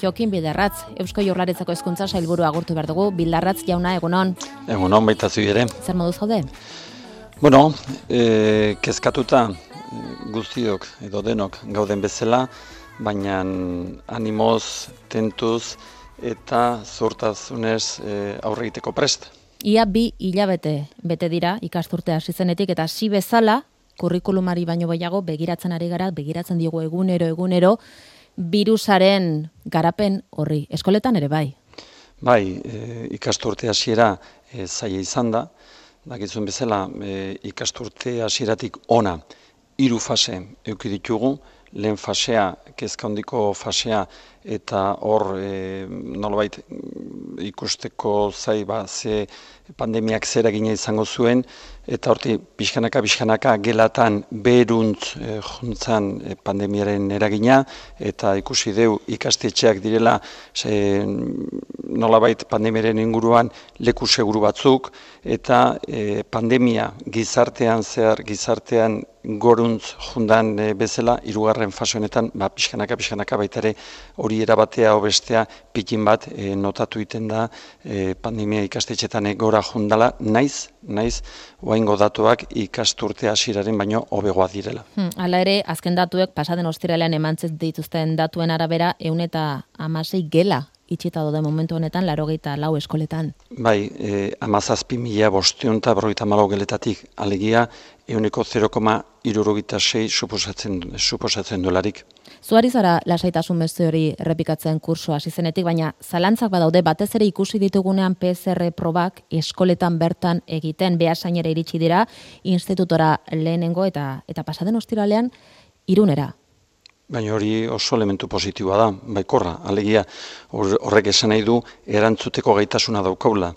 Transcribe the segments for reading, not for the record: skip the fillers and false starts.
Jokin Bildarratz, Eusko Jaurlaritzako Hezkuntza Sailburua agurtu behar dugu. Bildarratz jauna, egunon. Egunon, baita zu ere. Zer moduz zaude? Bueno, kezkatuta guztiok edo denok gauden bezala, baina animoz, tentuz eta zortazunez aurre egiteko prest. Ia 2 hilabete bete dira ikasturte hasi zenetik eta hasi bezala kurrikulumari baino gehiago begiratzen diogu egunero birusaren garapen horri. Eskoletan ere bai. Bai, ikasturte hasiera zaila izan da. Dakizuen bezala ikasturte hasieratik ona 3 fase eduki ditugu. Lehen fasea, kezka handiko fasea, eta hor nolabait ikusteko zai ze pandemiak zer eragina izango zuen, eta horti pixkanaka gelatan beheruntz juntzan pandemiaren eragina, eta ikusi deu ikastetxeak direla nolabait pandemiaren inguruan leku seguru batzuk, eta pandemia gizartean goruntz jundan bezala, 3. fase honetan, pixkanaka baitare hori erabatea bestea pikin bat notatu egiten da pandemia ikastetxetan gora jundala, naiz oraingo datuak ikasturte hasieraren baino hobegoa direla. Hala ere, azken datuek pasaden ostiralean emantzen dituzten datuen arabera 116 gela itxita daude momentu honetan 84 eskoletan. Bai, 17.554 geletatik alegia 0,76 suposatzen dolarik. Zuari zara lasaitasun beste hori errepikatzen kurso hasi zenetik, baina zalantzak badaude batez ere ikusi ditugunean PCR probak eskoletan bertan egiten, Beasainera iritsi dira, institutora lehenengo eta pasaden ostiralean Irunera. Baina hori oso elementu positiboa da, baikorra, alegia horrek esan nahi du erantzuteko gaitasuna daukagula.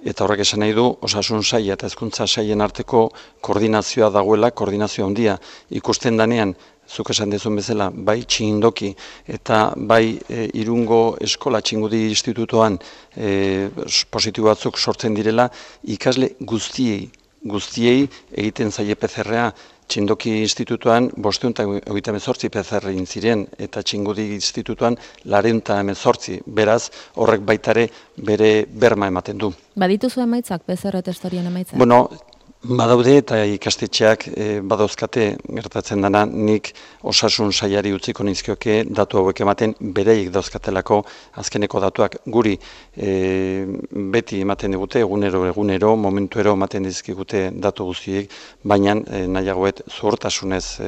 Eta horrek esan nahi du osasun saila eta hezkuntza sailen arteko koordinazioa dagoela, koordinazio handia. Ikusten danean, zuk esan dezun bezala, bai Txindoki eta bai Irungo eskola Txingudi institutoan positibo batzuk sortzen direla, ikasle guztiei egiten zaie PCR-a. Txindoki institutuan 528 PCR egin ziren eta Txingudi institutuan 418, beraz horrek baitare bere berma ematen du. Badituzu emaitzak PCR testorien emaitzak? Bueno, badaude eta ikastetxeak badauzkate gertatzen dana, nik osasun sailari utziko nizkioke datu hauek ematen bereik dauzkatelako azkeneko datuak guri beti ematen digute, egunero, momentuero ematen dizkigute datu guztiek, baina nahiagoet zuhurtasunez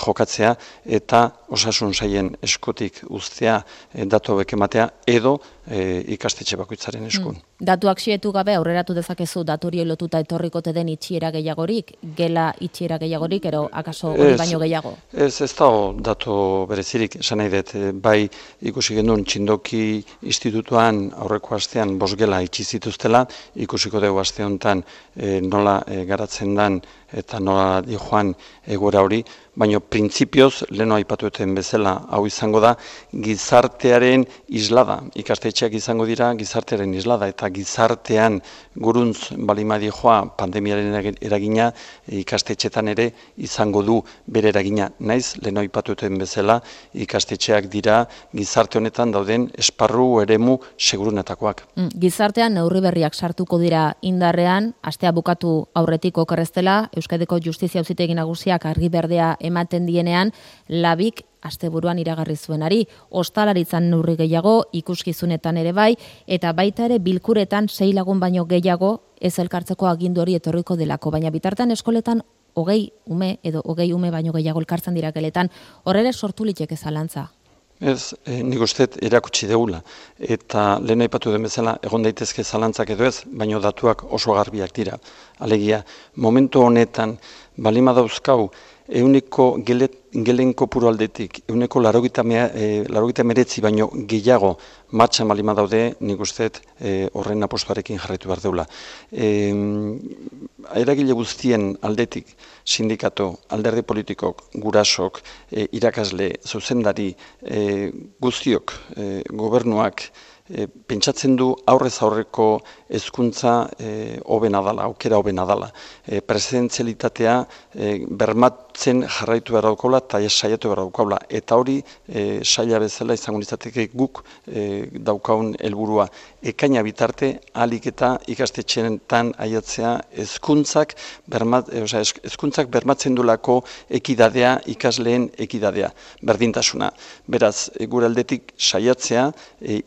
jokatzea eta osasun sailen eskutik uztea datu hauek ematea edo ikastetxe bakoitzaren eskun. Datuak xietu gabe aurreratu dezakezu daturi lotuta etorrikote den itxiera gehiagorik, gela itxiera gehiagorik, ero akaso hori baino gehiago? Ez dago datu berezirik, esan nahi dut, bai ikusi genuen Txindoki institutuan aurreko astean 5 gela itxi zituztela, ikusiko dugu aste honetan nola garatzen den eta nola joan egoera hori, baina printzipioz, leheno aipatueten bezala, hau izango da, gizartearen islada. Ikastetxeak izango dira gizartearen islada, eta gizartean guruntz balimadi joa pandemiaren eragina, ikastetxetan ere izango du bere eragina. Naiz, leheno aipatueten bezala, ikastetxeak dira gizarte honetan dauden esparru eremu segurunetakoak. Gizartean neurri berriak sartuko dira indarrean, astea bukatu aurretik okerreztela, Euskadiko Justizia Auzitegi Nagusiak argi berdea ematen dienean, labik asteburuan iragarri zuenari, ostalaritzan neurri gehiago, ikuskizunetan ere bai, eta baita ere bilkuretan 6 lagun baino gehiago ez elkartzeko agindu hori etorriko delako, baina bitartean eskoletan 20 ume edo 20 ume baino gehiago elkartzen dira geletan, horrela sortu liteke zalantza. Ez, nik uste erakutsi deula, eta lehen aipatu den bezala egon daitezke zalantzak edo ez, baina datuak oso garbiak dira. Alegia, momentu honetan, balima dauzkau, euneko gelen kopuru aldetik, euneko 89 baino gehiago matxan balima daude, nik uste horren apostuarekin jarraitu behar deula. Eragile guztien aldetik, sindikatu, alderdi politikok, gurasok, irakasle, zuzendari, guztiok, gobernuak, pentsatzen du aurrez aurreko hezkuntza hobena dala, aukera hobena dala. Presentzialitatea hartzen jarraitu behar daukaula eta saiatu behar daukaula. Eta hori saila bezala izango litzateke guk daukaun helburua. Ekaina bitarte ahalik eta ikastetxeetan aiatzea hezkuntzak bermatzen dulako ekidadea, ikasleen ekidadea, berdintasuna. Beraz, gure aldetik saiatzea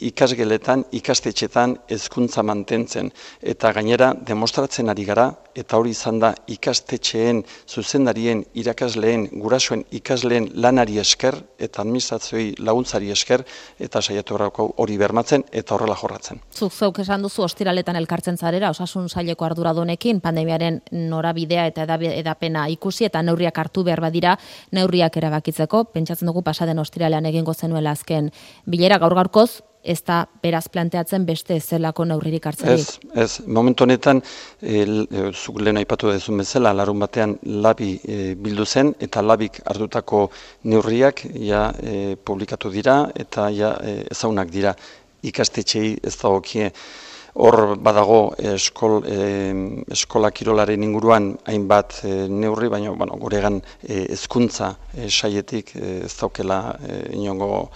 ikasgeletan, ikastetxeetan hezkuntza mantentzen. Eta gainera demostratzen ari gara, eta hori izan da ikastetxeen, zuzendarien, irakasleen, gurasoen ikasleen lanari esker, eta administrazioi laguntzari esker, eta saiatu hori bermatzen, eta horrela jorratzen. Zuk zeuk esan duzu ostiraletan elkartzen zarela, osasun saileko arduradunekin, pandemiaren norabidea eta edapena ikusi, eta neurriak hartu behar badira, neurriak erabakitzeko, pentsatzen dugu pasaden ostiralean egingo zenuela azken bilera gaur-gaurkoz, ez da beraz planteatzen beste zelako neurririk hartzerik. Ez, momentu honetan, zuk lehen aipatu dezun bezala, larun batean labi bildu zen, eta labik hartutako neurriak publikatu dira, eta ezagunak dira ikastetxei ez dagokie. Hor badago eskola kirolaren inguruan hainbat neurri, baina guregan hezkuntza saietik ez daukela inongo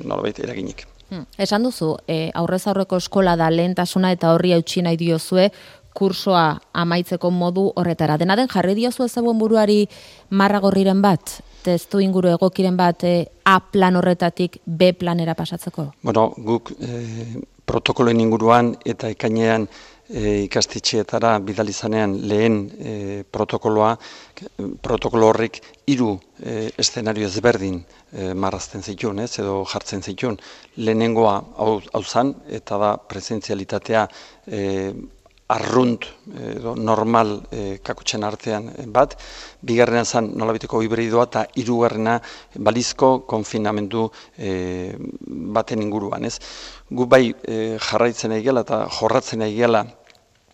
nolabait eraginik. Esan duzu, aurrez aurreko eskola da lehentasuna eta horri eutsi nahi diozue kursoa amaitzeko modu horretara. Dena den jarri diozu ezagun buruari marragorriren bat, testu inguru egokiren bat A plan horretatik B planera pasatzeko? Guk protokoloen inguruan eta ekainean ikastetxeetara bidalizanean lehen protokolo horrek 3 eszenario ezberdin marrazten zituen, edo jartzen zituen. Lehenengoa hau zan, eta da presentzialitatea arrunt edo normal kakotxen artean bat, bigarrena zan nolabiteko hibridoa eta hirugarrena balizko konfinamendu baten inguruan. Gu bai jarraitzen egela eta jorratzen egela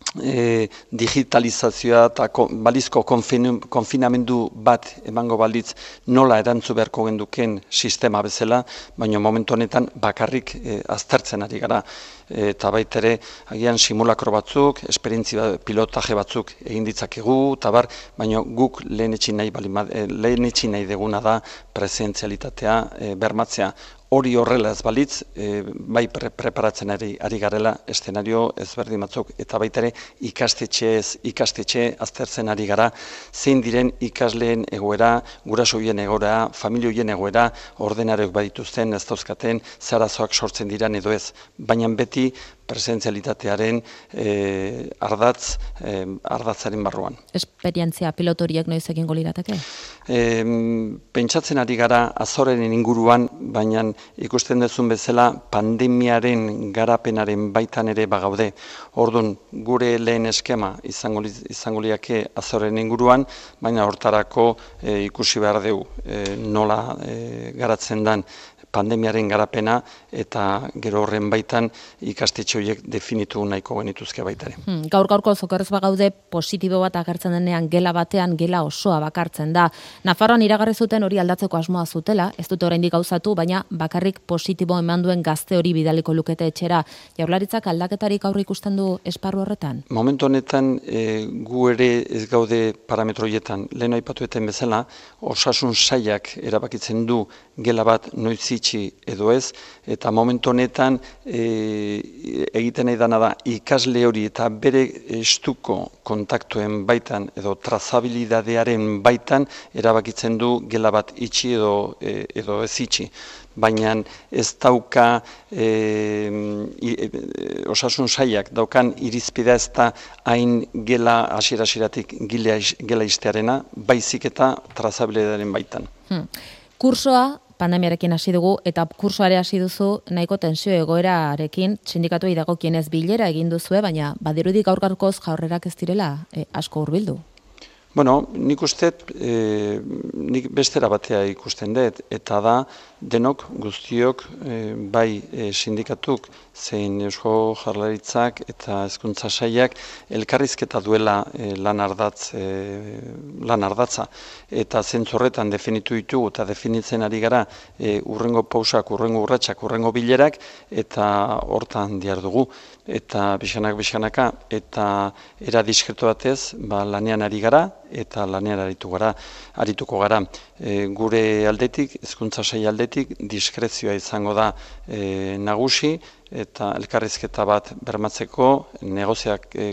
digitalizazioa eta balizko konfinamendu bat emango balitz nola erantzu beharko genduken sistema bezala, baina momentu honetan bakarrik aztertzen ari gara. Eta baitere, agian simulakro batzuk, esperientzia pilotaje batzuk egin ditzakegu, baina guk lehenetxi nahi deguna da presentzialitatea bermatzea. Hori horrela ez balitz, bai preparatzen ari garela eszenario ezberdin batzuk, eta baitere ikastetxe aztertzen ari gara, zein diren ikasleen egoera, gurasoien egoera, familioien egoera, ordenarek badituzten, ez dauzkaten, zarazoak sortzen diran edo ez, baina beti presentzialitatearen ardatzaren barruan. Esperientzia pilotoriek noiz egingo lirateke? Pentsatzen ari gara Azoren inguruan, baina ikusten duzun bezala pandemiaren garapenaren baitan ere bagaude. Orduan, gure lehen eskema izango liake Azoren inguruan, baina hortarako ikusi behar dugu nola garatzen den pandemiaren garapena eta gero horren baitan ikastetxe horiek definitu nahiko genituzke baitare. Gaur-gaurko zokerrez bagaude positibo bat agertzen denean gela batean gela osoa bakartzen da. Nafarroan iragarri zuten hori aldatzeko asmoa zutela, ez dute oraindik gauzatu, baina bakarrik positibo eman duen gazte hori bidaliko lukete etxera. Jaurlaritzak aldaketarik aurre ikusten du esparru horretan? Momentu honetan gu ere ez gaude parametroietan. Lehen aipatueten bezala, osasun sailak erabakitzen du gela bat noiz itxi edo ez, eta momentu honetan egiten nahi dana da ikasle hori eta bere estuko kontaktuen baitan edo trazabilidadearen baitan erabakitzen du gela bat itxi edo ez itxi. Baina ez dauka osasun sailak daukan irizpidea ez da hain gela hasiera-hasieratik gela iztearena, baizik eta trazabilidadearen baitan. Kursoa pandemiarekin hasi dugu, eta kursoare hasi duzu nahiko tensio egoerarekin sindikatuei dagokienez bilera egin duzue, baina badirudi gaur-gaurkoz jaurrerak ez direla asko hurbildu. Nik uste, nik bestera batea ikusten dut, eta da denok, guztiok, bai sindikatuk, zein Eusko Jaurlaritzak eta Hezkuntza Sailak elkarrizketa duela lan ardatza. Eta zentzu horretan definitu ditugu eta definitzen ari gara urrengo pausak, urrengo urratsak, urrengo bilerak, eta hortan dihardugu. Eta bizkanaka, eta era diskretu batez, lanean ari gara, eta lanean arituko gara. Gure aldetik, Hezkuntza Sail aldetik, diskrezioa izango da nagusi, eta elkarrizketa bat bermatzeko,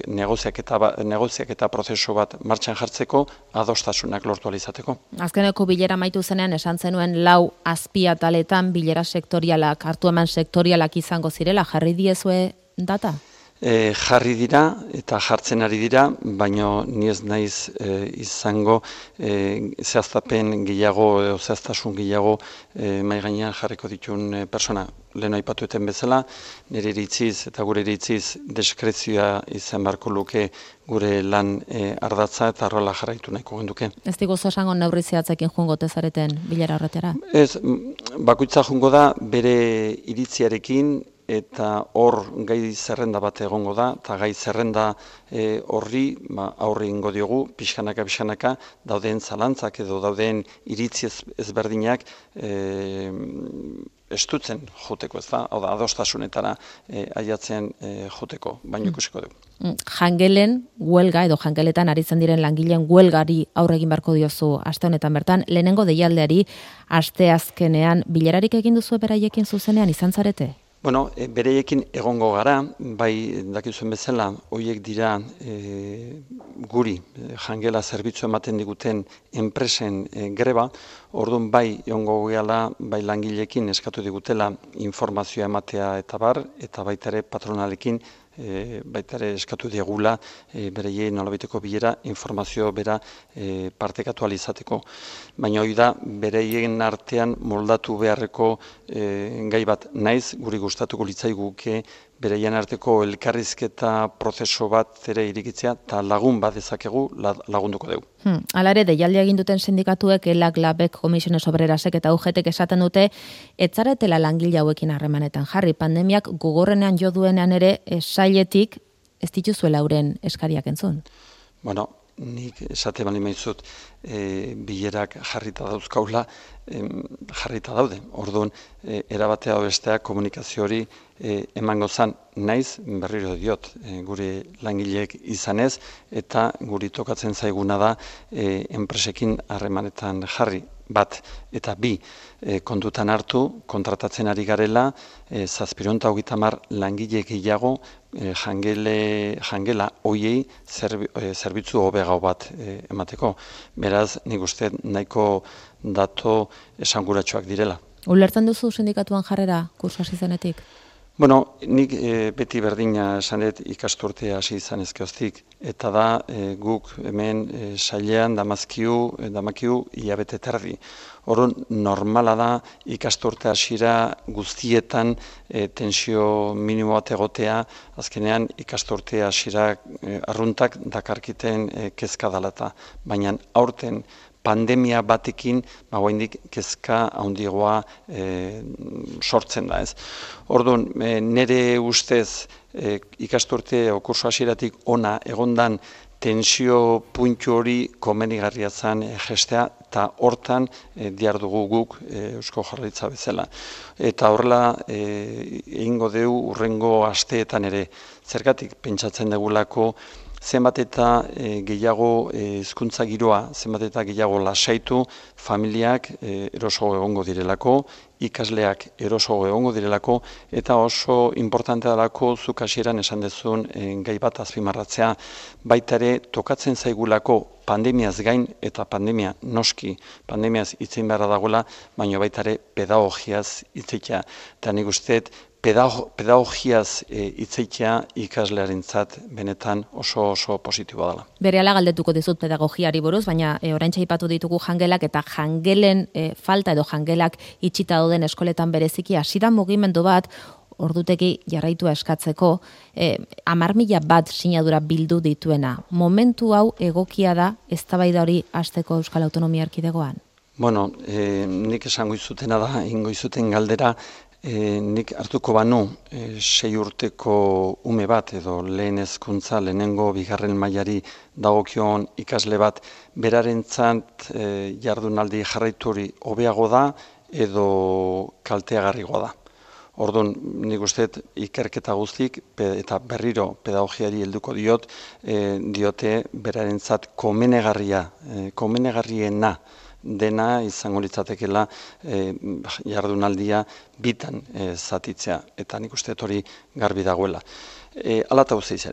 negoziaketa prozesu bat martxan jartzeko, adostasunak lortu alizateko. Azkeneko bilera amaitu zenean esan zenuen 4 azpiataletan bilera sektorialak, hartu eman sektorialak izango zirela, jarri diezue data? Jarri dira eta jartzen ari dira, baina ni ez naiz izango zehaztapen gehiago edo zehaztasun gehiago mahai gainean jarriko dituen persona. Lehen aipatueten bezala, nire iritziz eta gure iritziz deskrezioa izan beharko luke gure lan ardatza eta horrela jarraitu nahiko genduke. Ez diguzu esango neurri zehatzekin joango zareten bilera horretara? Ez, bakoitza joango da bere iritziarekin, eta hor gai zerrenda bat egongo da, eta gai zerrenda horri aurre ingo diogu, pixkanaka, dauden zalantzak edo dauden iritzi ezberdinak estutzen joteko, ez da? Hau da, adostasunetara aiatzen joteko, baino ikusiko dugu. Jangelen huelga edo jangeletan aritzen diren langileen huelgari aurre egin beharko diozu aste honetan bertan, lehenengo deialdeari asteazkenean bilerarik egin duzu beraiekin zuzenean izan zarete? Bueno, bereiekin egongo gara, bai dakizuen bezala, horiek dira guri jangela zerbitzu ematen diguten enpresen greba, orduan bai egongo gehala, bai langileekin eskatu digutela informazioa ematea eta bar, eta baita ere patronalekin baita ere eskatu diegula bereien nolabaiteko bilera informazio bera partekatu alizateko. Baina hori da bereien artean moldatu beharreko gai bat naiz, guri gustatuko litzaiguke bereien arteko elkarrizketa prozeso bat ere irikitzea eta lagun bat dezakegu lagunduko dugu. Hala ere, deialdia egin duten sindikatuek, ELAK, LABek, Komisiones Obrerasek eta UGTek esaten dute, etzaretela langile hauekin harremanetan jarri. Pandemiak gogorrenean jo duenean ere, sailetik ez dituzuela euren eskariak entzun. Bueno, nik esate bali maizut bilerak jarrita dauzkaula, jarrita daude. Orduan, erabatea besteak komunikazio hori emango zan naiz, berriro diot, gure langileek izanez, eta guri tokatzen zaiguna da enpresekin harremanetan jarri. Bat, eta bi, kontutan hartu, kontratatzen ari garela, 730 langile gehiago jangela hoiei zerbitzu hobegau bat emateko. Beraz, nik uste nahiko dato esanguratsuak direla. Ulertzen duzu sindikatuan jarrera kursu hasi zenetik? Bueno, nik beti berdina esan dut ikasturtea hasi izan ezkeoztik, eta da guk hemen sailean damakiu hilabete terdi. Orduan normala da ikasturte hasiera guztietan tensio minimo bat egotea, azkenean ikasturte hasiera arruntak dakarkiten kezka dalata. Baina aurten pandemia batekin, oraindik kezka handiagoa sortzen da, ez. Orduan, nire ustez ikasturte o kurso hasieratik ona egondan tensio puntu hori komenigarria zen gestea, eta hortan dihardugu guk Eusko Jaurlaritza bezala. Eta horrela egingo dugu urrengo asteetan ere, zergatik pentsatzen dugulako zenbat eta gehiago hezkuntza giroa, zenbat eta gehiago lasaitu, familiak eroso egongo direlako, ikasleak eroso egongo direlako, eta oso importantea dalako zuk hasieran esan dezun gai bat azpimarratzea. Baita ere tokatzen zaigulako pandemiaz gain, eta pandemia noski, pandemiaz hitzein beharra dagoela, baina baita ere pedagogiaz hitzeia. Eta nik usteet, pedagogiaz hitzeitea ikaslearentzat benetan oso positiboa dela. Berehala galdetuko dizut pedagogiari buruz, baina oraintxe aipatu ditugu jangelak eta jangelen falta edo jangelak itxita dauden eskoletan bereziki hasi da mugimendu bat ordutegi jarraitua eskatzeko 10.000 bat sinadura bildu dituena. Momentu hau egokia da eztabaida hori hasteko Euskal Autonomia Erkidegoan? Bueno, nik esango izutena da, ingo izuten galdera, nik hartuko banu 6 urteko ume bat edo lehen hezkuntza, lehenengo bigarren mailari dagokion ikasle bat, berarentzat jardunaldi jarraitu hori hobeago da edo kalteagarrigoa da. Orduan, nik uste ikerketa guztik eta berriro pedagogiari helduko diote berarentzat komenegarriena dena izango litzatekeela jardunaldia bitan zatitzea, eta nik uste hori garbi dagoela. Hala eta guztiz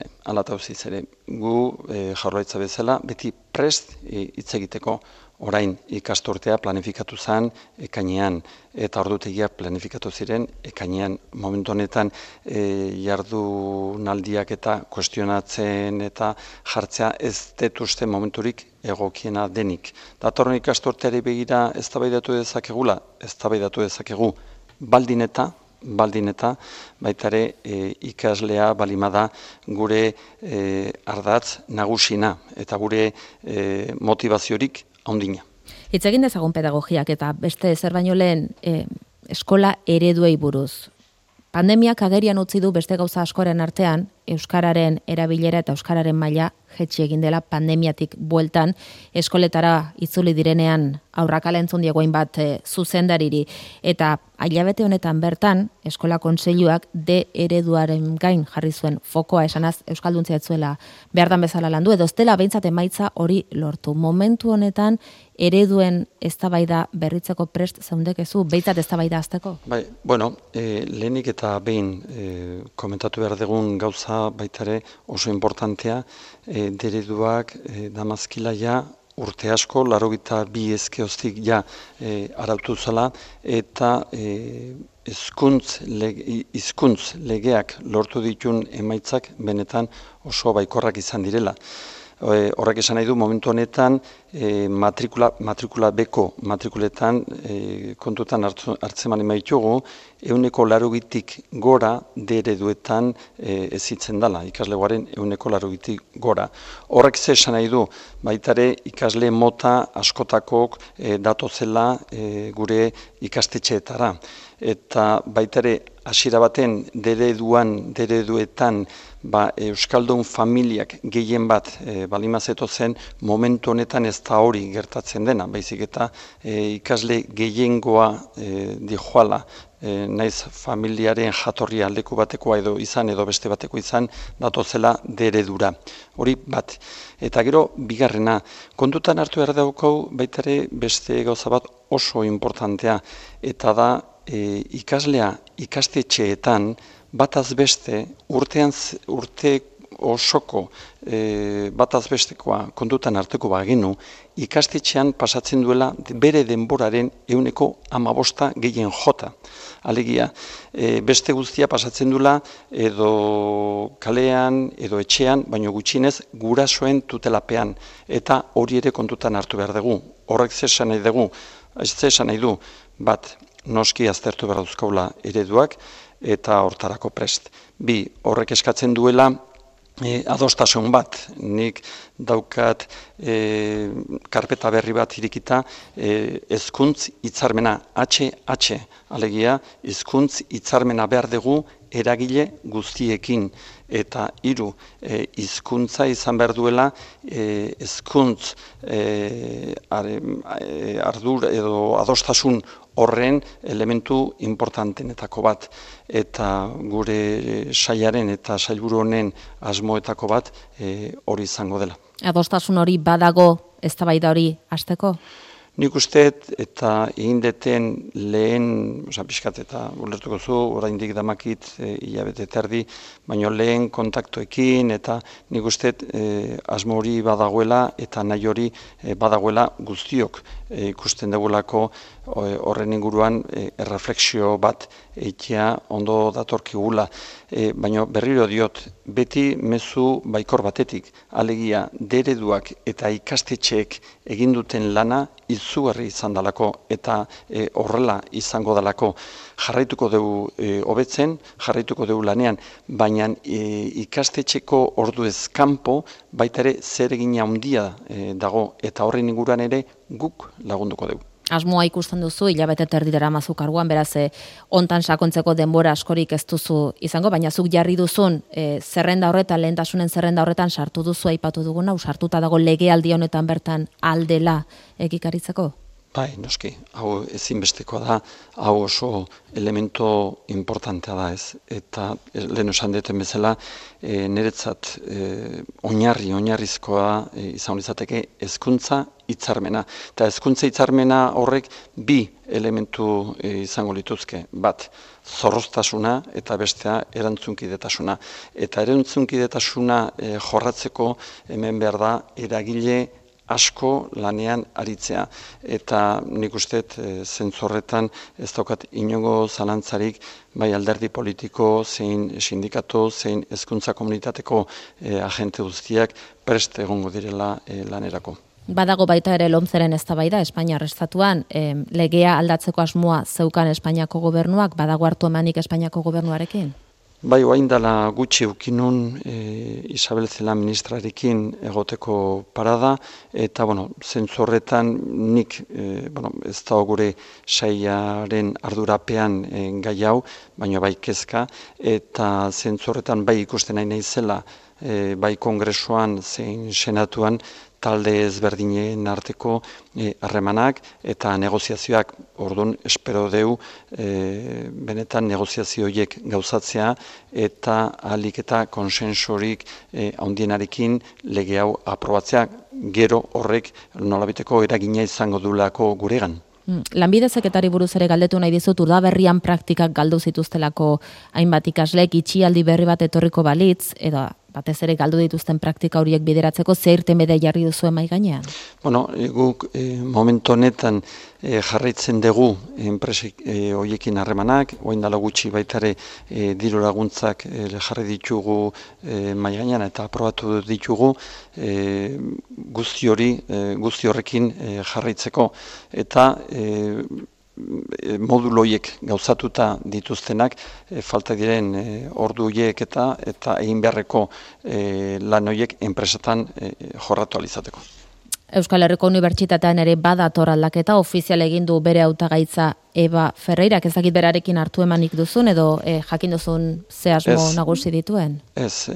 ere, gu Jaurlaritza bezala beti prest hitz egiteko. Orain ikasturtea planifikatu zen ekainean eta ordutegiak planifikatu ziren ekainean. Momentu honetan jardunaldiak eta kuestionatzen eta jartzea ez dut uste momenturik egokiena denik. Datorren ikasturteari begira eztabaidatu dezakegu baldin eta baita ere ikaslea balimada gure ardatz nagusina eta gure motivaziorik haundina. Hitz egin dezagun pedagogiak eta beste zer baino lehen eskola ereduei buruz. Pandemiak agerian utzi du beste gauza askoren artean, euskararen erabilera eta euskararen maila jetxi egin dela pandemiatik bueltan, eskoletara itzuli direnean aurrakala entzun diegoin bat zuzendariri. Eta hilabete honetan bertan, eskola kontseiluak D ereduaren gain jarri zuen fokoa, esanaz euskalduntzea ez zuela behardan bezala landu, edo ez dela behintzat emaitza hori lortu. Momentu honetan, ereduen eztabaida berritzeko prest zeundekezu, behintzat eztabaida hasteko? Bai, bueno, lehenik eta behin komentatu behar dugun gauza baitare oso importantea, dereduak damazkila ja urte asko, 82 ezkeoztik ja arautu zela, eta hizkuntz legeak lortu ditun emaitzak benetan oso baikorrak izan direla. Horrek esan nahi du momentu honetan matrikula beko matrikuletan kontutan hartzen mani maitugu 80% gora D-ereduetan ezitzen dela, ikaslegoaren 80% gora. Horrek ze esan nahi du, baitare ikasle mota askotakok datozela gure ikastetxeetara. Eta baitare hasiera baten D-ereduetan euskaldun familiak gehien bat balimazeto zen, momentu honetan ez da hori gertatzen dena, baizik eta ikasle gehiengoa dijoala, naiz familiaren jatorria leku batekoa edo izan edo beste bateko izan datozela D-eredura. Hori bat. Eta gero bigarrena, kontutan hartu behar daukau baitare beste gauza bat oso importantea, eta da ikaslea ikastetxeetan bataz beste urte osoko bataz bestekoa kontutan hartuko bagenu, ikastetxean pasatzen duela bere denboraren 15% gehien jota. Alegia, beste guztia pasatzen duela edo kalean edo etxean, baino gutxinez gurasoen tutelapean, eta hori ere kontutan hartu behar dugu. Horrek zesan nahi du, bat, noski aztertu behar duzkaula ereduak eta hortarako prest. Bi, horrek eskatzen duela adostasun bat. Nik daukat karpeta berri bat irikita hezkuntz hitzarmena HH, alegia hizkuntz hitzarmena behar dugu eragile guztiekin, eta 3, hizkuntza izan behar duela hezkuntz ardur edo adostasun horren elementu importantenetako bat, eta gure sailaren eta sailburu honen asmoetako bat hori izango dela. Adostasun hori badago eztabaida hori hasteko? Nik usteet eta egin deten lehen, pixkat eta ulertuko zu, oraindik damakit hilabete terdi, baina lehen kontaktoekin eta nik usteet asmo hori badagoela eta nahi hori badagoela guztiok ikusten dugulako horren inguruan erreflexio bat eitea ondo datorkigula. Baina berriro diot, beti mezu baikor batetik, alegia D-ereduak eta ikastetxeek egin duten lana izugarri izan dalako eta horrela izango dalako. Jarraituko dugu hobetzen, jarraituko dugu lanean, baina ikastetxeko orduez kanpo baita ere zer egina handia dago eta horren inguruan ere guk lagunduko dugu. Asmoa ikusten duzu, hilabete terdi daramazu karguan, beraz, hontan sakontzeko denbora askorik ez duzu izango, baina zuk jarri duzun zerrenda horretan, lehentasunen zerrenda horretan sartu duzu aipatu duguna, sartuta dago legealdi honetan bertan aldela egikaritzeko? Bai, noski, hau ezinbestekoa da, hau oso elemento importantea da ez, eta lehen esan deten bezala, niretzat oinarrizkoa izan izateke hezkuntza hitzarmena. Eta hezkuntza hitzarmena horrek bi elementu izango lituzke, bat, zorroztasuna eta bestea erantzunkidetasuna. Eta erantzunkidetasuna jorratzeko hemen behar da eragile asko lanean aritzea, eta nik usteet zentzorretan ez daukat inongo zalantzarik bai alderdi politiko, zein sindikatu, zein hezkuntza komunitateko agente guztiak prest egongo direla lanerako. Badago baita ere lomzeren eztabaida Espainiar estatuan, legea aldatzeko asmoa zeukan Espainiako gobernuak, badago hartu emanik Espainiako gobernuarekin? Bai, oain dela gutxi ukinun Isabel Celaá ministrarekin egoteko parada, eta, zentzu horretan nik, ez da gure sailaren ardurapean gai hau, baina bai kezka, eta zentzu horretan bai ikusten nahi naizela, bai kongresuan zein senatuan, talde ezberdinen arteko harremanak eta negoziazioak. Orduan, espero deu benetan negoziazio horiek gauzatzea eta ahalik eta konsensorik handienarekin lege hau aprobatzea, gero horrek nolabiteko eragina izango duelako guregan. Lanbide Heziketari buruz ere galdetu nahi dizut, Urdaberrian praktikak galdu zituztelako hainbat ikaslek, itxialdi berri bat etorriko balitz, edo batez ere galdu dituzten praktika horiek bideratzeko, zer irtenbide jarri duzu mahai gainean? Guk momentu honetan jarraitzen dugu enpresek horiekin harremanak, orain dela gutxi baitare diru laguntzak jarri ditugu mahai gainean eta aprobatu ditugu guzti horrekin jarraitzeko, eta modulo horiek gauzatuta dituztenak falta diren ordu horiek eta egin beharreko lan horiek enpresetan jorratu alizateko. Euskal Herriko Unibertsitatean ere badator aldaketa, ofizial egin du bere hautagaitza Eba Ferreirak, ez dakit berarekin hartu emanik duzun edo jakin duzun ze asmo nagusi dituen? Ez,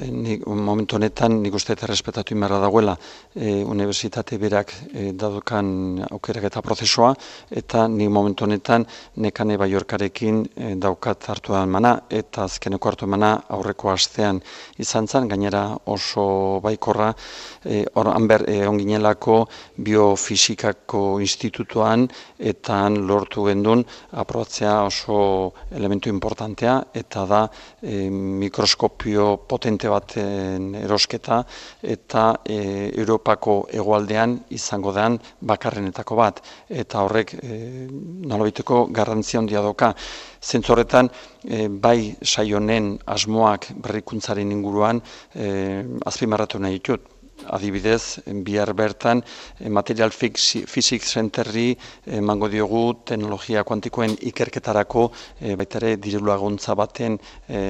momentu honetan nik uste eta respetatu inberra dagoela unibertsitate berak daukan aukerak eta prozesua, eta nik momentu honetan Nekane Baiorkarekin daukat hartu emana, eta azkeneko hartu emana aurreko astean izan zen, gainera oso baikorra, onginelako Biofisikako Institutuan, eta lortu gendun aprobatzea oso elementu importantea, eta da mikroskopio potente baten erosketa, eta Europako hegoaldean izango den bakarrenetako bat, eta horrek nolabiteko garrantzia handia doka. Zentzu horretan, bai saionen asmoak berrikuntzaren inguruan azpimarratu nahi ditut. Adibidez, bihar bertan Material Physics Centerri emango diogu teknologia kuantikoen ikerketarako baitare diru laguntza baten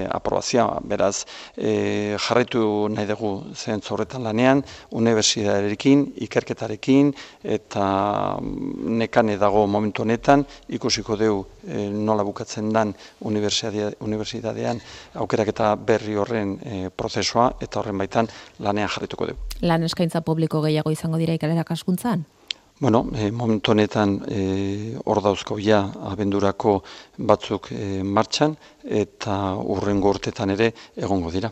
aprobazioa. Beraz, jarraitu nahi dugu zentzu horretan lanean, unibertsitatearekin, ikerketarekin, eta Nekane dago momentu honetan, ikusiko dugu nola bukatzen den unibertsitatean aukeraketa berri horren prozesua, eta horren baitan lanean jarraituko dugu. Lan eskaintza publiko gehiago izango dira irakaskuntzan? Momentu honetan hor dauzko abendurako batzuk martxan, eta hurrengo urtetan ere egongo dira.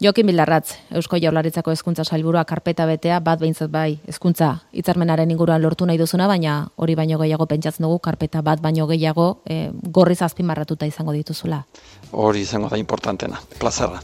Jokin Bildarratz, Eusko Jaurlaritzako hezkuntza sailburua karpeta betea, bat behintzat bai hezkuntza hitzarmenaren inguruan lortu nahi duzuna, baina hori baino gehiago pentsatzen dugu, karpeta bat baino gehiago gorriz azpimarratuta izango dituzula. Hori izango da importantena, plazarra.